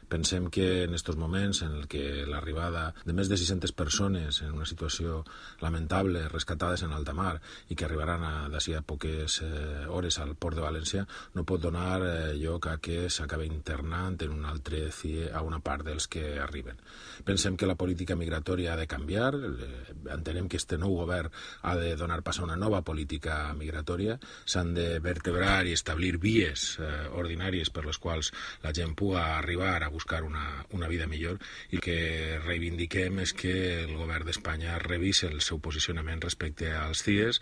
Pensem que en aquests moments en què l'arribada de més de 600 persones en una situació lamentable, rescatades en alta mar i que arribaran d'ací a poques hores al port de València, no pot donar lloc a que s'acabi internant en un altre CIE a una part dels que arriben. Pensem que la política migratòria ha de canviar, entenem que este nou govern ha de donar pas a una nova política migratòria, s'han de vertebrar i establir vies ordinàries per les quals la gent pugui arribar a buscar una vida millor, i el que reivindiquem és que el govern d'Espanya revise el seu posicionament respecte als CIEs